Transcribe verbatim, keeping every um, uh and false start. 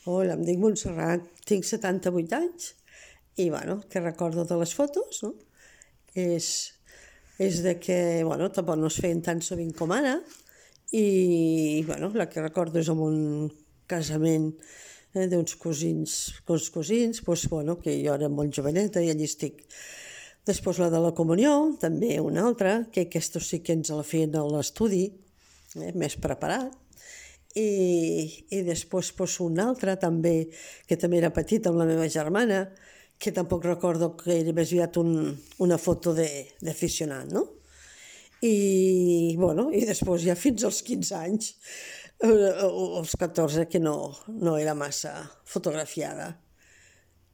Hola, em dic Montserrat, tinc setanta-vuit anys i, bueno, què recordo de les fotos, no? És, és de que, bueno, tampoc no es feien tan sovint com ara i, bueno, la que recordo és amb un casament eh, d'uns cosins, uns cosins, doncs, bueno, que jo era molt joveneta i allí estic. Després la de la comunió, també una altra, que aquesta sí que ens la feien a l'estudi, eh, més preparat. I, i després pues, una altra també, que també era petita amb la meva germana, que tampoc recordo que era més aviat un, una foto d'aficionat, no? I, bueno, i després ja fins als quinze anys, eh, o als catorze, que no, no era massa fotografiada.